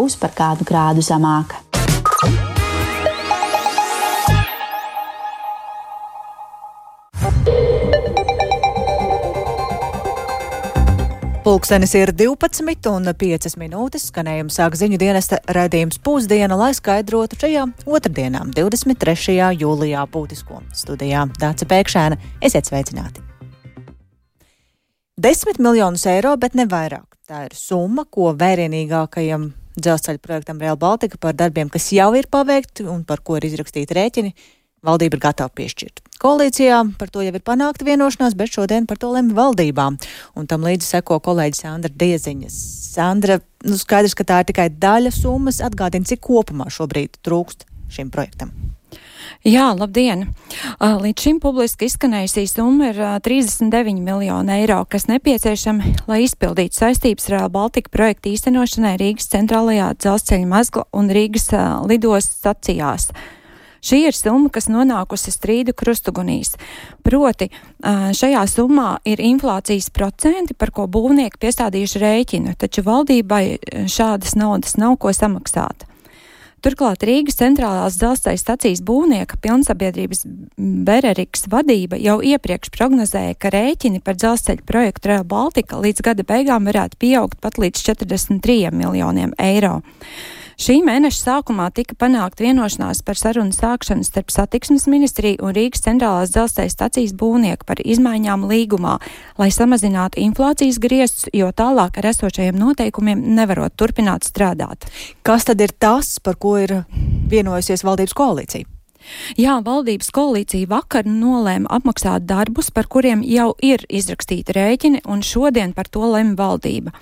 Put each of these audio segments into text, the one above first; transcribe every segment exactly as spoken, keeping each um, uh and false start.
būs par kādu grādu zemāka. Pulkstenis ir divpadsmit un piecas minūtes, skanējums sāk ziņu dienesta raidījums Pusdiena, lai skaidrotu šajā otrdienā, divdesmit trešajā jūlijā būtisko. Studijā Dāca Pēkšēna, esiet sveicināti. Desmit miljonus eiro, bet ne vairāk. Tā ir summa, ko vērienīgākajam dzelzceļa projektam Rail Baltica par darbiem, kas jau ir paveikti un par ko ir izrakstīti rēķini, valdība ir gatava piešķirt. Koalīcijā par to jau ir panākta vienošanās, bet šodien par to lemj valdībām. Un tam līdzi seko kolēģi Sandra Dieziņa. Sandra, nu skaidrs, ka tā ir tikai daļa summas. Atgādina, cik kopumā šobrīd trūkst šim projektam. Jā, labdien! Līdz šim publiski izskanējusī summa ir trīsdesmit deviņi miljoni eiro, kas nepieciešami, lai izpildītu saistības Rail Baltica projekta īstenošanai Rīgas centrālajā dzelzceļa mezgla un Rīgas lidostas stacijās. Šī ir summa, kas nonākusi strīdu krustugunīs. Proti, šajā summā ir inflācijas procenti, par ko būvnieki piestādījuši rēķinu, taču valdībai šādas naudas nav ko samaksāt. Turklāt Rīgas centrālās dzelzceļa stacijas būvnieka pilnsabiedrības Bereriks vadība jau iepriekš prognozēja, ka rēķini par dzelzceļa projektu Rail Baltica līdz gada beigām varētu pieaugt pat līdz četrdesmit trījiem miljoniem eiro. Šī mēneša sākumā tika panākt vienošanās par sarunu sākšanu starp Satiksmes ministriju un Rīgas centrālās dzelzceļa stacijas būvnieku par izmaiņām līgumā, lai samazinātu inflācijas griestus, jo tālāk ar esošajiem noteikumiem nevarot turpināt strādāt. Kas tad ir tas, par ko ir vienojusies valdības koalīcija? Jā, valdības koalīcija vakar nolēma apmaksāt darbus, par kuriem jau ir izrakstīti rēķini, un šodien par to lemj valdība.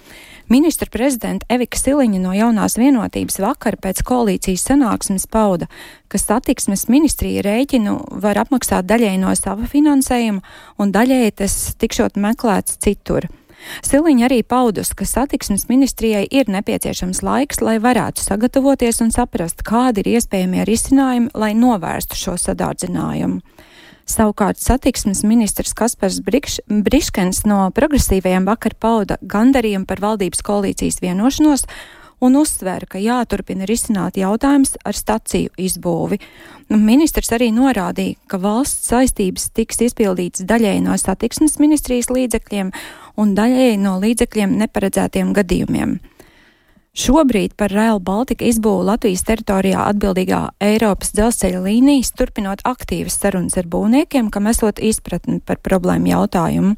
Ministra prezidenta Evika Siliņa no Jaunās vienotības vakar pēc koalīcijas sanāksmes pauda, ka Satiksmes ministrija rēķinu var apmaksāt daļēji no sava finansējuma un daļēji tas tikšot meklēts citur. Siliņa arī paudus, ka Satiksmes ministrijai ir nepieciešams laiks, lai varētu sagatavoties un saprast, kādi ir iespējamie risinājumi, lai novērstu šo sadārdzinājumu. Savukārt Satiksmes ministrs Kaspars Brikš, Briškens no progresīvajiem vakar pauda gandarījumu par valdības koalīcijas vienošanos un uzsvēra, ka jāturpina risināt jautājums ar staciju izbūvi. Ministrs arī norādīja, ka valsts saistības tiks izpildītas daļēji no Satiksmes ministrijas līdzekļiem un daļēji no līdzekļiem neparedzētiem gadījumiem. Šobrīd par Rail Baltica izbūvu Latvijas teritorijā atbildīgā Eiropas dzelzceļa līnijas turpinot aktīvas sarunas ar būvniekiem, kam esot izpratni par problēmu jautājumu.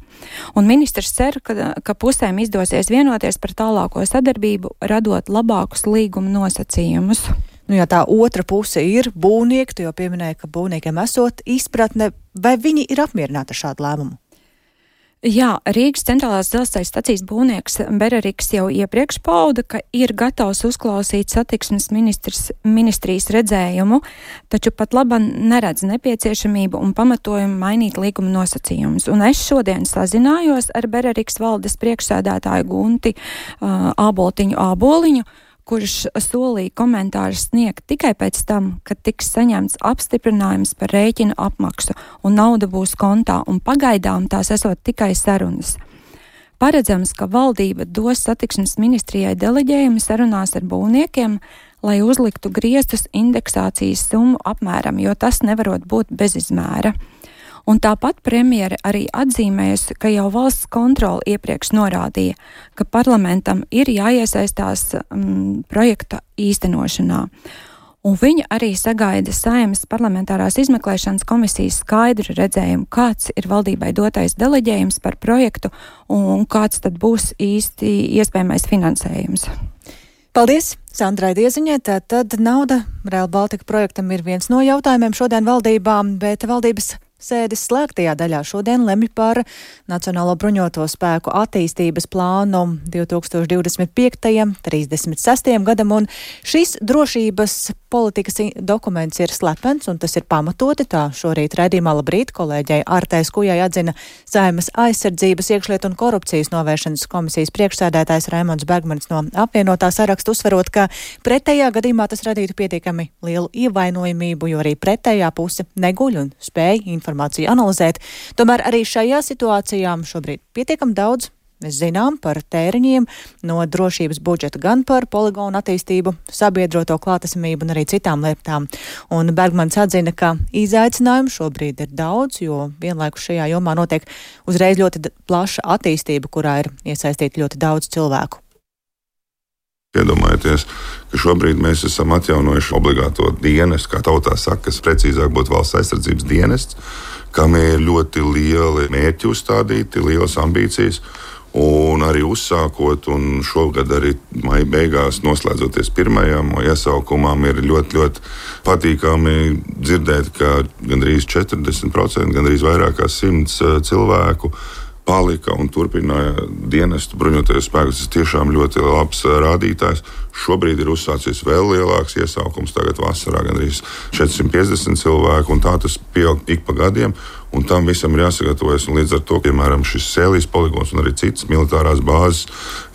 Un ministrs cer, ka, ka pusēm izdosies vienoties par tālāko sadarbību, radot labākus līguma nosacījumus. Nu, ja tā otra puse ir būvnieki, tu jau pieminēji, ka būvniekiem esot izpratne, vai viņi ir apmierināti ar šādu lēmumu? Jā, Rīgas centrālās dzelzceļa stacijas būvnieks Bereriks jau iepriekš pauda, ka ir gatavs uzklausīt Satiksmes ministrijas redzējumu, taču pat labam neredz nepieciešamību un pamatojumu mainīt līguma nosacījumus. Un es šodien sazinājos ar Bereriks valdes priekšsēdētāju Gunti uh, Āboltiņu Āboliņu, kurš solīja komentārus sniegt tikai pēc tam, kad tiks saņemts apstiprinājums par rēķinu apmaksu un nauda būs kontā, un pagaidām tās esot tikai sarunas. Paredzams, ka valdība dos Satiksmes ministrijai deleģējumu sarunās ar būvniekiem, lai uzliktu griestus indeksācijas summu apmēram, jo tas nevarot būt bez izmēra. Un tāpat premjere arī atzīmējusi, ka jau valsts kontrole iepriekš norādīja, ka parlamentam ir jāiesaistās um, projekta īstenošanā. Un viņa arī sagaida Saeimas parlamentārās izmeklēšanas komisijas skaidru redzējumu, kāds ir valdībai dotais deleģējums par projektu un kāds tad būs īsti iespējamais finansējums. Paldies Sandrai Dieziņai. Tātad nauda Rail Baltica projektam ir viens no jautājumiem šodien valdībām, bet valdības sēdes slēgtajā daļā šodien lemj par Nacionālo bruņoto spēku attīstības plānu divi tūkstoši divdesmit piektajam līdz trīsdesmit sestajam gadam, un šis drošības politikas dokuments ir slepens, un tas ir pamatoti. Tā šorīt raidījumā Labrīt kolēģei Artai Skujai atzina Saeimas aizsardzības, iekšlietu un korupcijas novēršanas komisijas priekšsēdētājs Raimonds Bergmanis no apvienotā saraksta, uzsverot, ka pretējā gadījumā tas radītu pietiekami lielu ievainojamību, jo arī pretējā puse neguļ un spēj informāciju analizēt. Tomēr arī šajā situācijā šobrīd pietiekam daudz Mēs zinām par tēriņiem no drošības budžeta gan par poligonu attīstību, sabiedroto klātesamību un arī citām lietām. Un Bergmanis atzina, ka izaicinājumu šobrīd ir daudz, jo vienlaikus šajā jomā notiek uzreiz ļoti plaša attīstība, kurā ir iesaistīti ļoti daudz cilvēku. Iedomājieties, ka šobrīd mēs esam atjaunojuši obligāto dienestu, kā tautā saka, kas precīzāk būtu valsts aizsardzības dienests, kam ir ļoti lieli mērķi uzstādīti, lielas ambīcijas. Un arī uzsākot, un šogad arī maija beigās noslēdzoties pirmajam iesaukumam, ir ļoti, ļoti patīkami dzirdēt, ka gandrīz četrdesmit procenti, gandrīz vairāk kā simts cilvēku palika un turpināja dienestu bruņotajos spēkus. Tas tiešām ļoti labs rādītājs. Šobrīd ir uzsācies vēl lielāks iesaukums, tagad vasarā gandrīz četrsimt piecdesmit cilvēku, un tā tas pieaug ik pa gadiem. Un tam visam ir jāsagatavojas, un līdz ar to, piemēram, šis Sēlijas poligons un arī citas militārās bāzes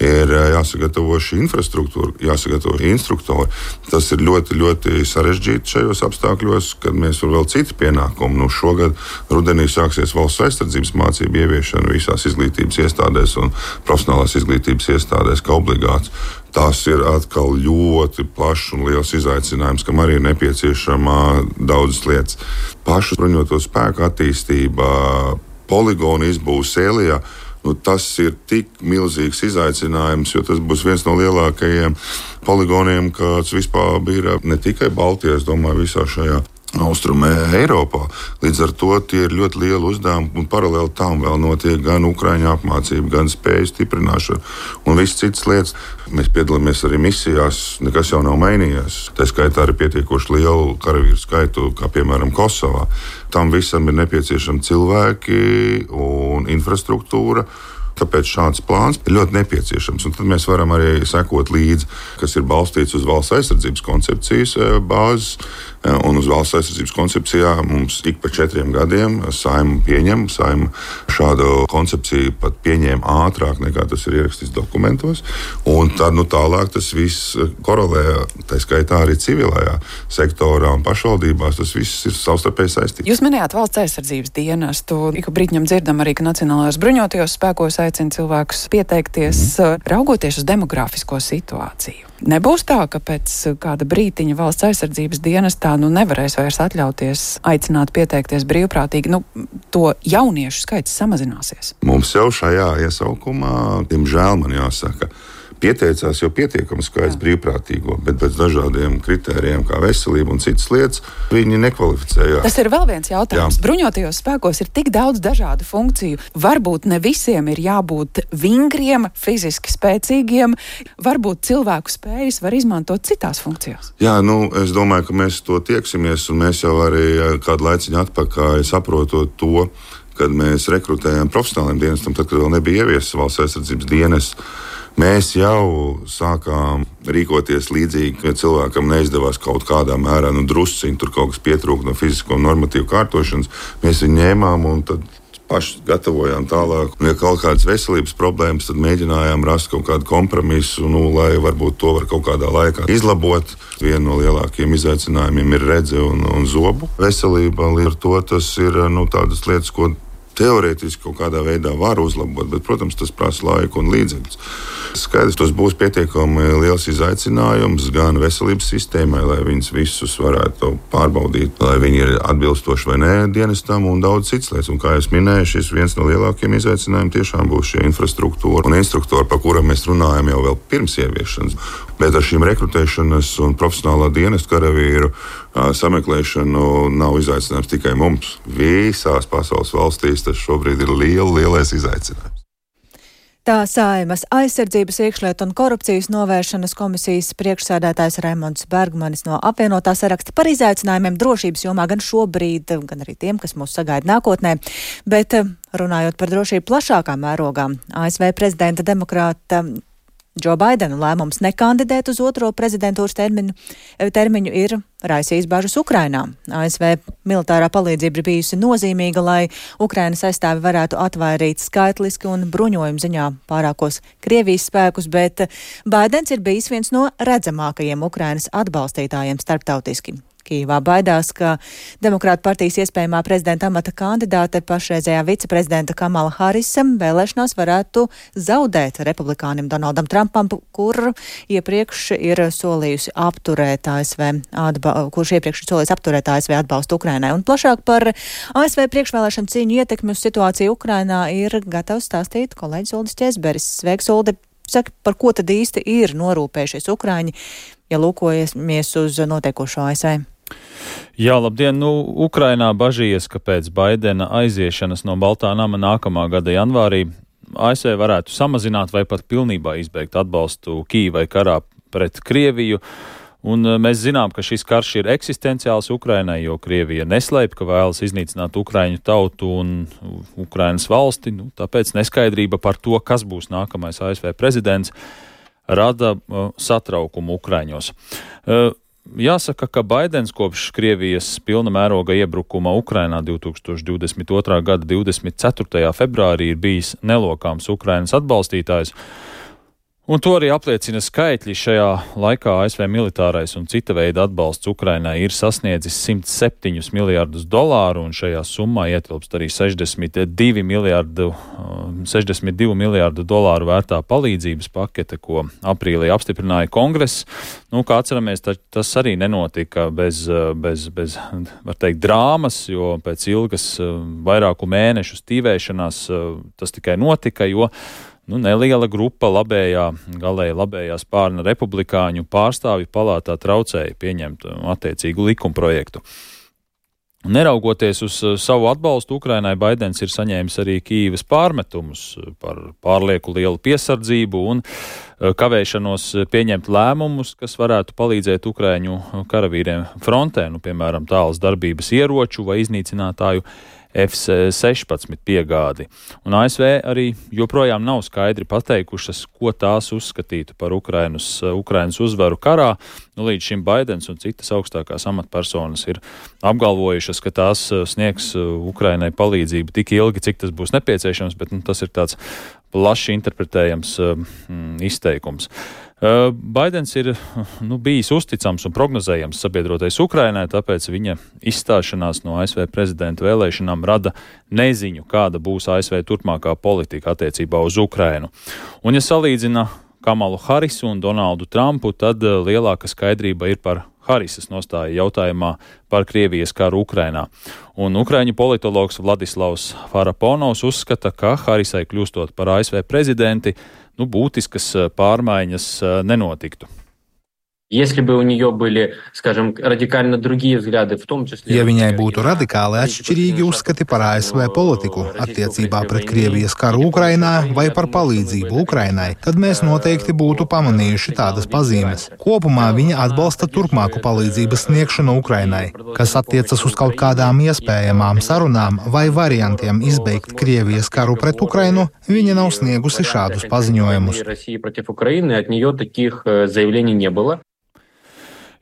ir jāsagatavo šī infrastruktūra, jāsagatavo instruktori. Tas ir ļoti, ļoti sarežģīti šajos apstākļos, kad mēs tur vēl citi pienākumi. Nu, šogad rudenī sāksies valsts aizsardzības mācību ieviešana visās izglītības iestādēs un profesionālās izglītības iestādēs kā obligāts. Tas ir atkal ļoti plašs un liels izaicinājums, kam arī ir nepieciešama daudzas lietas. Pašu bruņoto spēku attīstība, poligonu izbūve Sēlijā, nu, tas ir tik milzīgs izaicinājums, jo tas būs viens no lielākajiem poligoniem, kāds vispār bija ne tikai Baltijā, es domāju, visā šajā Austrumē Eiropā. Līdz ar to tie ir ļoti lieli uzdevumi, un paralēli tam vēl notiek gan Ukraiņu apmācība, gan spēju stiprināšana un visas citas lietas. Mēs piedalāmies arī misijās, nekas jau nav mainījies. Tā skaitā arī pietiekoši lielu karavīru skaitu, kā piemēram Kosovā. Tam visam ir nepieciešami cilvēki un infrastruktūra. Tāpēc šāds plāns ir ļoti nepieciešams. Un tad mēs varam arī sekot līdzi, kas ir balstīts uz valsts aizsardzības koncepcijas bāzes. Un uz valsts aizsardzības koncepcijā mums ik pa četriem gadiem Saeima pieņem. Saeima šādu koncepciju pat pieņēma ātrāk nekā tas ir ierakstīts dokumentos. Un tad nu, tālāk tas viss korelē, tā skaitā arī civilajā sektorā un pašvaldībās. Tas viss ir savstarpēji saistīts. Jūs minējāt valsts aizsardzības dienestu. Ik brīdņam dzirdam arī, ka Nacionālajos bruņotajos spēkos aicina cilvēkus pieteikties, mm. raugoties uz demografisko situāciju. Nebūs tā, ka pēc kāda brītiņa valsts aizsardzības dienestā nu nevarēs vairs atļauties aicināt pieteikties brīvprātīgi. Nu, to jauniešu skaits samazināsies. Mums jau šajā iesaukumā, diemžēl man jāsaka, pieteicās jau pietiekami skaits brīvprātīgo, bet pēc dažādiem kritērijiem, kā veselība un citas lietas, viņi nekvalificējās. Tas ir vēl viens jautājums. Jā. Bruņotajos spēkos ir tik daudz dažādu funkciju. Varbūt ne visiem ir jābūt vingriem, fiziski spēcīgiem. Varbūt cilvēku spējas var izmantot citās funkcijās. Jā, nu, es domāju, ka mēs to tieksimies, un mēs jau arī kādu laiciņu atpakaļ saprotot to, kad mēs rekrutējām profesionāliem dienestam, tad, kad vēl nebija ieviesis valsts aizsardzības dienests. Mēs jau sākām rīkoties līdzīgi, ka cilvēkam neizdevās kaut kādā mērā, nu drusciņi tur kaut kas pietrūka no fizisko normatīvu kārtošanas. Mēs viņu ņēmām un tad paši gatavojām tālāk. Un, ja kaut kādas veselības problēmas, tad mēģinājām rast kaut kādu kompromisu, nu, lai varbūt to var kaut kādā laikā izlabot. Viena no lielākajiem izaicinājumiem ir redze un, un zobu veselība. Līdz ar to tas ir nu, tādas lietas, ko teorētiski kaut kādā veidā var uzlabot, bet, protams, tas prasa laiku un līdzekļus. Skaidrs, tas būs pietiekami liels izaicinājums gan veselības sistēmai, lai viņus visus varētu pārbaudīt, lai viņi ir atbilstoši vai nē dienestam un daudz citas lietas. Un, kā es minēju, šis viens no lielākajiem izaicinājumiem tiešām būs šī infrastruktūra un instruktori, par kuriem mēs runājam jau vēl pirms ieviešanas. Bet ar šīm rekrutēšanas un profesionālā dienesta karavīru sameklēšanu nav izaicinājums tikai mums. Visās pasaules valstīs tas šobrīd ir liela, lielais izaicinājums. Tā Saeimas aizsardzības, iekšlietu un korupcijas novēršanas komisijas priekšsēdētājs Raimonds Bergmanis no apvienotā saraksta par izaicinājumiem drošības jomā gan šobrīd, gan arī tiem, kas mūs sagaida nākotnē. Bet runājot par drošību plašākā mērogā, A S V prezidenta demokrāta Džo Baidena lēmums nekandidēt uz otro prezidentūras termiņu, termiņu ir raisījis bažas Ukrainā. A S V militārā palīdzība ir bijusi nozīmīga, lai Ukrainas aizstāvi varētu atvairīt skaitliski un bruņojumu ziņā pārākos Krievijas spēkus, bet Baidens ir bijis viens no redzamākajiem Ukrainas atbalstītājiem starptautiski. Kīvā baidās, ka Demokrātu partijas iespējamā prezidenta amata kandidāte pašreizējā viceprezidenta Kamala Harisa vēlēšanās varētu zaudēt republikānim Donaldam Trumpam, kur iepriekš ir solījusi apturēt A S V, atba, kurš iepriekš ir solījis apturēt A S V atbalstu Ukrainai. Un plašāk par A S V priekšvēlēšanu cīņu ietekmi uz situāciju Ukrainā ir gatavs stāstīt kolēģis Uldis Ķezberis. Sveiks, Uldi! Saka, par ko tad īsti ir norūpējušies Ukraiņi, ja lūkojamies uz notiekošo A S V? Jā, labdien! Nu, Ukrainā bažījies, ka pēc Baidena aiziešanas no Baltā nama nākamā gada janvārī A S V varētu samazināt vai pat pilnībā izbeigt atbalstu Kīvai karā pret Krieviju. Un mēs zinām, ka šis karš ir eksistenciāls Ukrainai, jo Krievija neslēp, ka vēlas iznīcināt Ukraiņu tautu un Ukrainas valsti. Nu, tāpēc neskaidrība par to, kas būs nākamais A S V prezidents, rada uh, satraukumu Ukraiņos. Uh, Jāsaka, ka Baidens kopš Krievijas pilna mēroga iebrukuma Ukrainā divtūkstoš divdesmit otrā gada divdesmit ceturtajā februārī ir bijis nelokāms Ukrainas atbalstītājs. Un to arī apliecina skaitļi. Šajā laikā A S V militārais un cita veida atbalsts Ukrainai ir sasniedzis simt septiņus miljārdus dolāru, un šajā summā ietilpst arī sešdesmit divi miljārdu, sešdesmit divi miljārdu dolāru vērtā palīdzības pakete, ko aprīlī apstiprināja Kongress. Nu, kā atceramies, tas arī nenotika bez, bez, bez, var teikt, drāmas, jo pēc ilgas vairāku mēnešu stīvēšanās tas tikai notika, jo Nu, neliela grupa labējā, galēji labējā spārna republikāņu pārstāvju palātā traucēja pieņemt attiecīgu likumprojektu. Neraugoties uz savu atbalstu Ukrainai, Baidens ir saņēmis arī Kīivas pārmetumus par pārlieku lielu piesardzību un kavēšanos pieņemt lēmumus, kas varētu palīdzēt Ukraiņu karavīriem frontē, nu, piemēram, tālas darbības ieroču vai iznīcinātāju F sešpadsmit piegādi. Un A S V arī joprojām nav skaidri pateikušas, ko tās uzskatītu par Ukrainas, Ukrainas uzvaru karā. Nu, līdz šim Baidens un citas augstākās amatpersonas ir apgalvojušas, ka tās sniegs Ukrainai palīdzību tik ilgi, cik tas būs nepieciešams, bet nu, tas ir tāds plaši interpretējams mm, izteikums. Uh, Baidens ir nu, bijis uzticams un prognozējams sabiedrotais Ukrainai, tāpēc viņa izstāšanās no A S V prezidenta vēlēšanām rada neziņu, kāda būs A S V turpmākā politika attiecībā uz Ukrainu. Un, ja salīdzina Kamalu Harisu un Donaldu Trumpu, tad uh, lielāka skaidrība ir par Harisas nostāja jautājumā par Krievijas karu Ukrainā. Un ukraiņu politologs Vladislavs Faraponovs uzskata, ka Harisai kļūstot par A S V prezidenti, nu, būtiskas pārmaiņas nenotiktu. Если бы у нее были, скажем, радикально другие взгляды, в том числе... Ja viņai būtu radikāli atšķirīgi uzskati par A S V politiku attiecībā pret Krievijas karu Ukrainā vai par palīdzību Ukrainai, tad mēs noteikti būtu pamanījuši tādas pazīmes. Kopumā viņa atbalsta turpmāku palīdzības sniegšanu Ukrainai, kas attiecas uz kaut kādām iespējamām sarunām vai variantiem izbeigt Krievijas karu pret Ukrainu, viņa nav sniegusi šādus paziņojumus.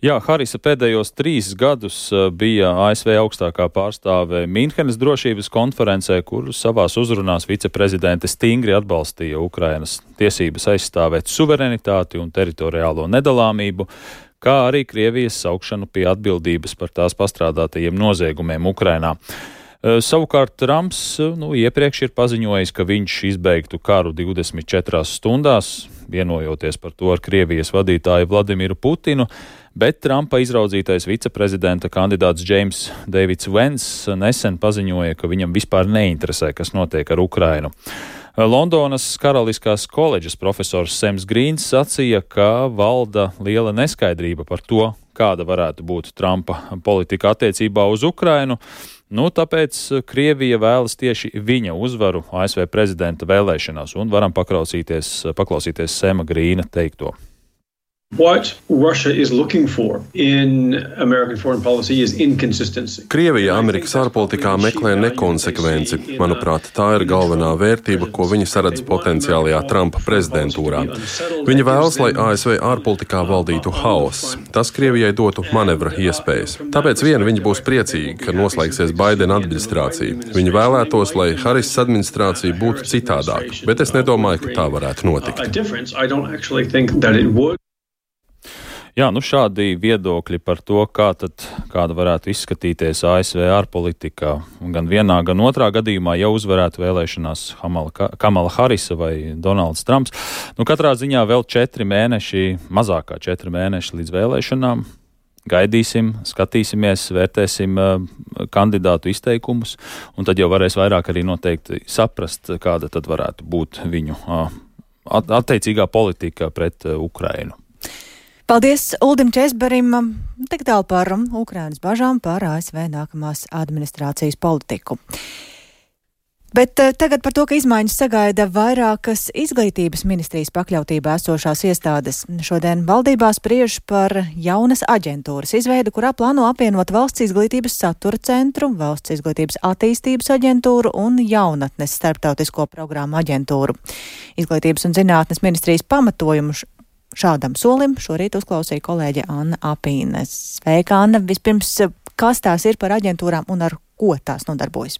Jā, Harisa pēdējos trīs gadus bija A S V augstākā pārstāve Mīnhenes drošības konferencē, kur savās uzrunās viceprezidente stingri atbalstīja Ukrainas tiesības aizstāvēt suverenitāti un teritoriālo nedalāmību, kā arī Krievijas saukšanu pie atbildības par tās pastrādātajiem noziegumiem Ukrainā. Savukārt Trumps nu, iepriekš ir paziņojis, ka viņš izbeigtu karu divdesmit četrās stundās, vienojoties par to ar Krievijas vadītāju Vladimiru Putinu, bet Trumpa izraudzītais viceprezidenta kandidāts Džeims Deivids Vens nesen paziņoja, ka viņam vispār neinteresē, kas notiek ar Ukrainu. Londonas Karaliskās koledžas profesors Sems Grīns sacīja, ka valda liela neskaidrība par to, kāda varētu būt Trumpa politika attiecībā uz Ukrainu. Nu, tāpēc Krievija vēlas tieši viņa uzvaru A S V prezidenta vēlēšanās, un varam paklausīties, paklausīties Sema Grīna teikto. What Russia is looking for in American foreign policy is inconsistency. Krievija Amerikas ārpolitikā meklē nekonsekvenci. Manuprāt, tā ir galvenā vērtība, ko viņi saredz potenciālajā Trumpa prezidentūrā. Viņi vēlas, lai A S V ārpolitikā valdītu haoss. Tas Krievijai dotu manevra iespējas. Tāpēc vien viņi būs priecīgi, ka noslēgsies Baidena administrācija. Viņi vēlētos, lai Harisas administrācija būtu citādāka, bet es nedomāju, ka tā varētu notikt. Jā, nu šādi viedokļi par to, kā tad, kāda varētu izskatīties A S V ārpolitikā. Gan vienā, gan otrā gadījumā jau uzvarētu vēlēšanās Kamala Harisa vai Donalds Trumps. Nu, katrā ziņā vēl četri mēneši, mazākā četri mēneši līdz vēlēšanām. Gaidīsim, skatīsimies, vērtēsim uh, kandidātu izteikumus, un tad jau varēs vairāk arī noteikti saprast, kāda tad varētu būt viņu uh, attiecīgā politika pret uh, Ukrainu. Paldies Uldim Česberim, tik tālu par Ukrainas bažām par A S V nākamās administrācijas politiku. Bet tagad par to, ka izmaiņas sagaida vairākas izglītības ministrijas pakļautībā esošās iestādes. Šodien valdībā spriež par jaunas aģentūras izveidu, kurā plāno apvienot Valsts izglītības satura centru, Valsts izglītības attīstības aģentūru un jaunatnes starptautisko programmu aģentūru. Izglītības un zinātnes ministrijas pamatojumu šādam solim šorīt uzklausīja kolēģe Anna Apīne. Sveika, Anna! Vispirms, kas tās ir par aģentūrām un ar ko tās nodarbojas?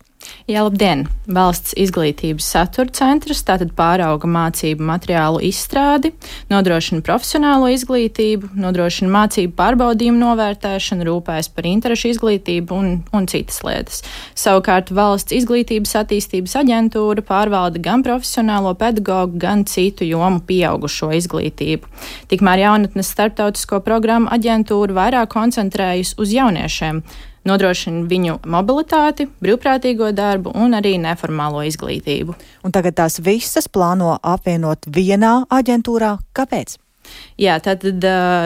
Jā, labdien! Valsts izglītības satura centrs tātad pārauga mācību materiālu izstrādi, nodrošina profesionālo izglītību, nodrošina mācību pārbaudījumu novērtēšanu, rūpējas par interešu izglītību un, un citas lietas. Savukārt Valsts izglītības attīstības aģentūra pārvalda gan profesionālo pedagogu, gan citu jomu pieaugušo izglītību. Tikmēr jaunatnes starptautisko programmu aģentūra vairāk koncentrējas uz jauniešiem, nodrošina viņu mobilitāti, brīvprātīgo darbu un arī neformālo izglītību. Un tagad tās visas plāno apvienot vienā aģentūrā. Kāpēc? Jā, tātad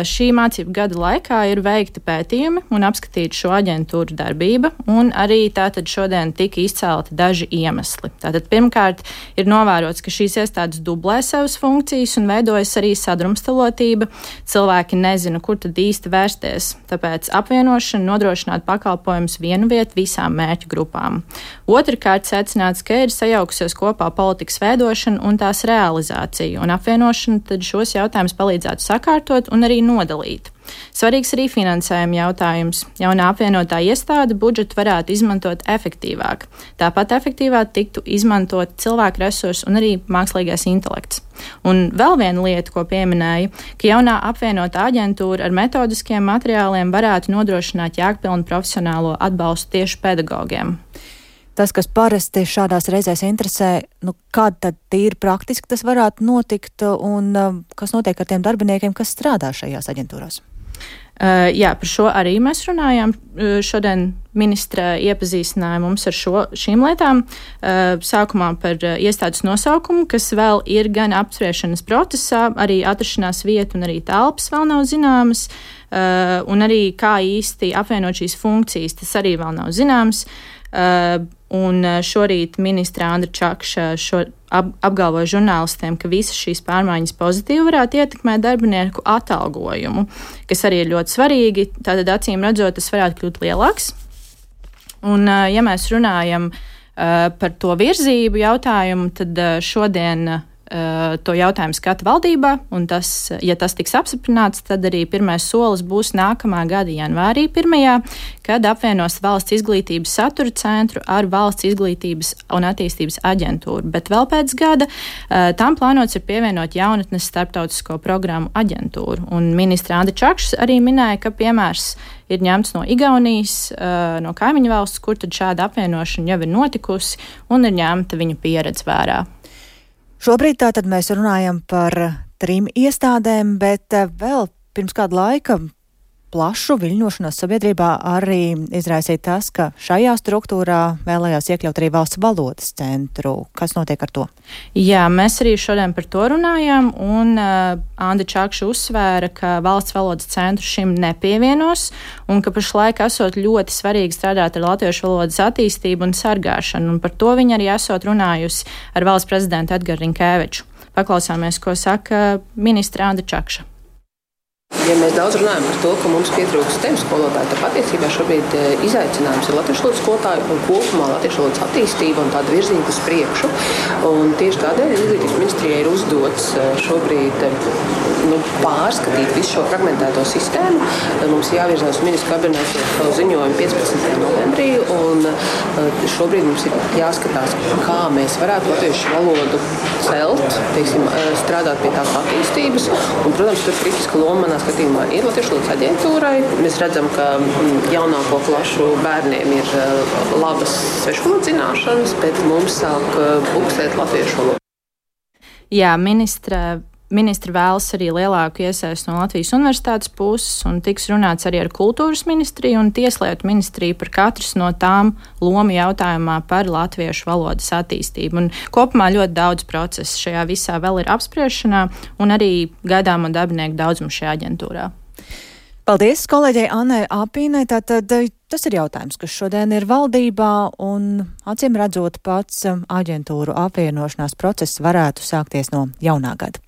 šī mācību gada laikā ir veikti pētījumi un apskatīta šo aģentūru darbība, un arī tātad šodien tika izcelti daži iemesli. Tātad pirmkārt ir novērots, ka šīs iestādes dublē savas funkcijas un veidojas arī sadrumstalotība. Cilvēki nezina, kur tad īsti vērsties, tāpēc apvienošana nodrošināt pakalpojumus vienu vietu visām mērķu grupām. Otrkārt secināts, ka ir sajaukusies kopā politikas veidošana un tās realizācija, un apvienošana tad šos jautājumus palīdzētu sakārtot un arī nodalīt. Svarīgs arī finansējuma jautājums. Jaunā apvienotā iestāde budžetu varētu izmantot efektīvāk. Tāpat efektīvāk tiktu izmantot cilvēku resursi un arī mākslīgais intelekts. Un vēl viena lieta, ko pieminēja, ka jaunā apvienotā aģentūra ar metodiskiem materiāliem varētu nodrošināt jēgpilnu profesionālo atbalstu tieši pedagogiem. Tas, kas parasti šādās reizēs interesē, nu, kāda tad tīri praktiski tas varētu notikt un kas notiek ar tiem darbiniekiem, kas strādā šajās aģentūrās? Uh, jā, par šo arī mēs runājām. Šodien ministra iepazīstināja mums ar šo, šīm lietām. Uh, sākumā par uh, iestādes nosaukumu, kas vēl ir gan apspriešanas procesā, arī atrašanās vieta un arī telpas vēl nav zināmas, uh, un arī kā īsti apvienot šīs funkcijas, tas arī vēl nav zināms. Uh, un šorīt ministra Andra Čakša šo ap, apgalvoja žurnālistiem, ka visas šīs pārmaiņas pozitīvi varētu ietekmēt darbinieku atalgojumu, kas arī ir ļoti svarīgi. Tātad acīm redzot, tas varētu kļūt lielāks. Un, uh, ja mēs runājam uh, par to virzību jautājumu, tad uh, šodien uh, to jautājumu skata valdībā, un tas, ja tas tiks apstiprināts, tad arī pirmais solis būs nākamā gada janvārī pirmajā, kad apvienos Valsts izglītības satura centru ar Valsts izglītības un attīstības aģentūru. Bet vēl pēc gada uh, tam plānots ir pievienot jaunatnes starptautisko programmu aģentūru. Un ministra Andra Čakša arī minēja, ka piemērs ir ņemts no Igaunijas, uh, no kaimiņu valsts, kur tad šāda apvienošana jau ir notikusi un ir ņemta viņa pieredze vērā. Šobrīd tātad mēs runājam par trim iestādēm, bet vēl pirms kāda laika plašu viļņošanos sabiedrībā arī izraisīja tas, ka šajā struktūrā vēlējās iekļaut arī Valsts valodas centru. Kas notiek ar to? Jā, mēs arī šodien par to runājām, un uh, Andra Čakša uzsvēra, ka Valsts valodas centru šim nepievienos, un ka pašlaik esot ļoti svarīgi strādāt ar latviešu valodas attīstību un sargāšanu, un par to viņa arī esot runājusi ar valsts prezidentu Edgars Rinkēviču. Paklausāmies, ko saka ministra Andra Čakša. Ja mēs daudz runājam par to, ka mums pietrūkst tēmu skolotāju, tad patiesībā šobrīd izaicinājums ir latviešu valodas skolotāju un kopumā latviešu valodas attīstība un tāda virzība uz priekšu. Un tieši tādēļ Izglītības ministrijai ir uzdots šobrīd nu, pārskatīt visu šo fragmentēto sistēmu. Mums jāvirzās ministru kabinetu savu ziņojumu piecpadsmitajā novembrī, un šobrīd mums ir jāskatās, kā mēs varētu latviešu valodu celt, teiksim, strādāt pie tās attīstības. Un, protams, tur kritiska loma skatījumā ir Latviešu valodas aģentūrai. Mēs redzam, ka jaunāko klašu bērniem ir labas svešvalodas zināšanas, bet mums sāk buksēt latviešu valodu. Jā, ministra. Ministri vēlas arī lielāku iesaistu no Latvijas universitātes puses, un tiks runāts arī ar kultūras ministriju un tieslietu ministriju par katras no tām lomu jautājumā par latviešu valodas attīstību. Un kopumā ļoti daudz procesu šajā visā vēl ir apspriešanā, un arī gaidāmo darbinieku daudzumu šajā aģentūrā. Paldies kolēģei Annai Apīnai. Tātad tas ir jautājums, kas šodien ir valdībā, un acīm redzot pats aģentūru apvienošanās process varētu sākties no jaunā gada.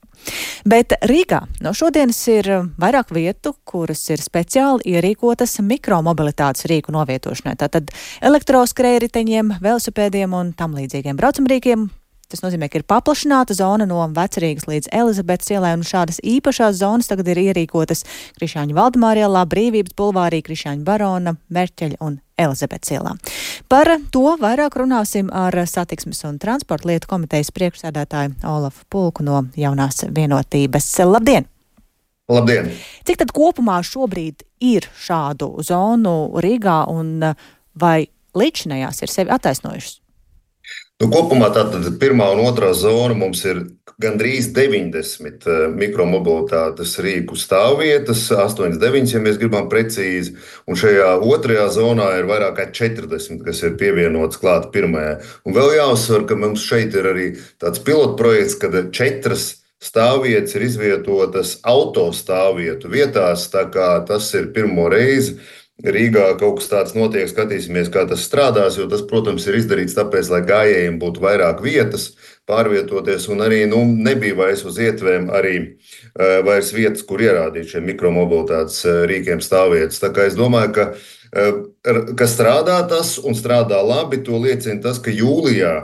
Bet Rīgā no šodienas ir vairāk vietu, kuras ir speciāli ierīkotas mikromobilitātes rīku novietošanai. Tātad elektroskrējriteņiem, velosipēdiem un tam līdzīgiem braucamrīkiem. Tas nozīmē, ka ir paplašināta zona no Vecrīgas līdz Elizabetes ielai, un šādas īpašās zonas tagad ir ierīkotas Krišjāņu Valdemāra ielā, Brīvības bulvārī, Krišjāņu Barona, Merķeļa un Elizabetes ielā. Par to vairāk runāsim ar Satiksmes un transporta lietu komitejas priekšsēdētāju Olafu Pulku no Jaunās vienotības. Labdien! Labdien! Cik tad kopumā šobrīd ir šādu zonu Rīgā, un vai līdzinājās ir sevi attaisnojušas? Nu, kopumā tātad pirmā un otrā zona mums ir gandrīz deviņdesmit mikromobilitātes rīku stāvvietas, astoņdesmit deviņas, ja mēs gribam precīzi, un šajā otrajā zonā ir vairāk kā četrdesmit, kas ir pievienots klāt pirmajā. Un vēl jāuzsver, ka mums šeit ir arī tāds pilotprojekts, kad četras stāvvietas ir izvietotas autostāvvietu vietās, tā kā tas ir pirmo reizi. Rīgā kaut kas tāds notiek, skatīsimies, kā tas strādās, jo tas, protams, ir izdarīts tāpēc, lai gājējiem būtu vairāk vietas pārvietoties, un arī nu, nebija vairs uz ietvēm arī uh, vairs vietas, kur ierādīt šiem mikromobilitātes uh, rīkiem stāvvietas. Tā kā es domāju, ka, uh, ka strādā tas un strādā labi, to liecina tas, ka jūlijā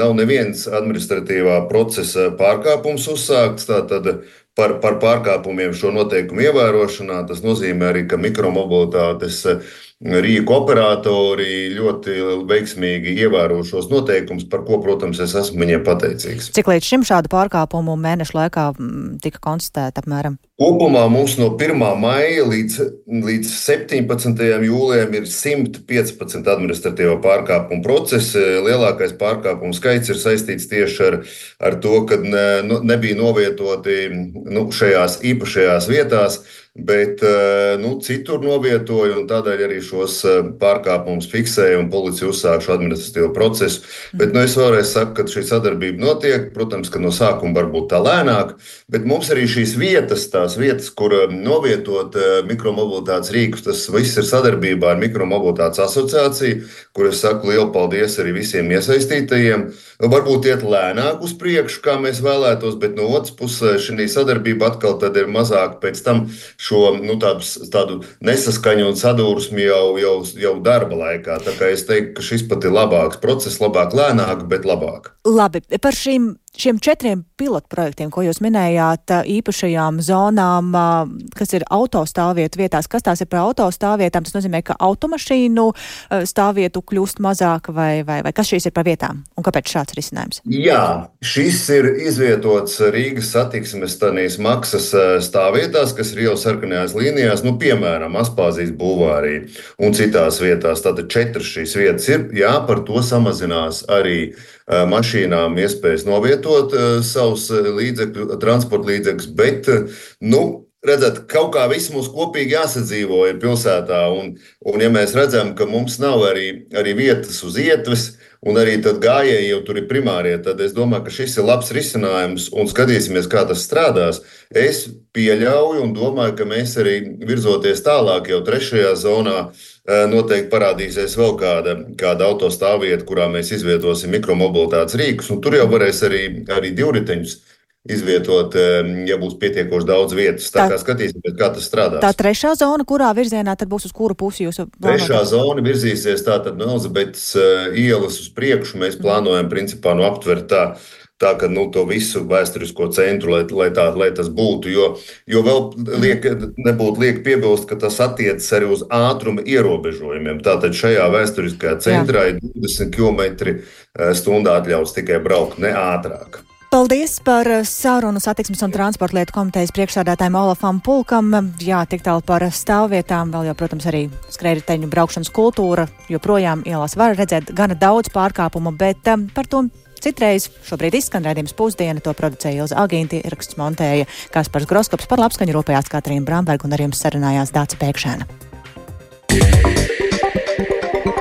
nav neviens administratīvā procesa pārkāpums uzsākts, tātad Par, par pārkāpumiem šo noteikumu ievērošanā. Tas nozīmē arī, ka mikromobilitātes rīku operatori ļoti veiksmīgi ievēro šos noteikumus, par ko, protams, es esmu viņiem pateicīgs. Cik līdz šim šādu pārkāpumu mēnešu laikā tika konstatēta apmēram? Kopumā mums no pirmā maija līdz, līdz septiņpadsmitajam jūlijam ir simt piecpadsmit administratīvo pārkāpumu procesi. Lielākais pārkāpumu skaits ir saistīts tieši ar, ar to, ka ne, nebija novietoti nu, šajās īpašajās vietās, bet nu, citur novietoja, un tādēļ arī šos pārkāpumus fiksēja un policija uzsāk šo administratīvo procesu. Bet nu, es vēlreiz saku, ka šī sadarbība notiek, protams, ka no sākuma varbūt tā lēnāk, bet mums arī šīs vietas, tās vietas, kur novietot mikromobilitātes rīkus, tas viss ir sadarbībā ar Mikromobilitātes asociāciju, kur es saku lielu paldies arī visiem iesaistītajiem. Varbūt iet lēnāk uz priekšu, kā mēs vēlētos, bet no otras puses šī sadarbība atkal tad ir mazāk pēc tam šo nu, tādu, tādu nesaskaņu un sadursmi jau, jau, jau darba laikā. Tā kā es teiktu, ka šis pat ir labāks process, labāk lēnāk, bet labāk. Labi, par šīm Šiem četriem pilotprojektiem, ko jūs minējāt, īpašajām zonām, kas ir autostāvvietu vietās, kas tās ir par autostāvvietām, tas nozīmē, ka automašīnu stāvvietu kļūst mazāk, vai, vai, vai kas šīs ir par vietām, un kāpēc šāds risinājums? Jā, šis ir izvietots Rīgas satiksmes tanīs maksas stāvvietās, kas ir jau sarkanajās līnijās, nu, piemēram, Aspāzijas bulvārī un citās vietās. Tātad četras šīs vietas ir, jā, par to samazinās arī mašīnām iespējas novietot savus līdzekļu, transporta līdzekļus, bet, nu, redzat, kaut kā viss mums kopīgi jāsadzīvo ir pilsētā, un, un ja mēs redzam, ka mums nav arī, arī vietas uz ietves, un arī tad gājēji jau tur ir primārie, tad es domāju, ka šis ir labs risinājums, un skatīsimies, kā tas strādās. Es pieļauju un domāju, ka mēs arī virzoties tālāk jau trešajā zonā, noteikti parādīsies vēl kāda, kāda autostāvvieta, kurā mēs izvietosim mikromobilitātes rīkus, un tur jau varēs arī, arī divriteņus izvietot, ja būs pietiekoši daudz vietas. Tā, tā kā skatīsimies, kā tas strādās. Tā trešā zona, kurā virzienā tad būs uz kuru pusi jūs plānojat? Trešā zona virzīsies tātad no Elizabetes ielas uz priekšu. Mēs plānojam principā nu aptvert tā, tā ka nu, to visu vēsturisko centru, lai, lai, tā, lai tas būtu, jo, jo vēl liek, nebūtu liek piebilst, ka tas attiecas arī uz ātruma ierobežojumiem. Tātad šajā vēsturiskajā centrā Jā. ir divdesmit kilometri stundā atļauts tikai braukt, ne ātrāk. Paldies par sarunu satiksmes un transporta lietu komitejas priekšsādātājiem Olafam Pulkam. Jā, tik tālu par stāvvietām, vēl jau, protams, arī skrējriteņu braukšanas kultūra, joprojām ielās var redzēt gana daudz pārkāpumu, bet um, par to citreiz šobrīd izskan raidījums Pusdiena, to producēja Ilza Agīnti, ieraksts montēja Kaspars Groskops, par labskaņu rūpējās Katrīna Bramberga un ar jums sarunājās Dāca Pēkšēna.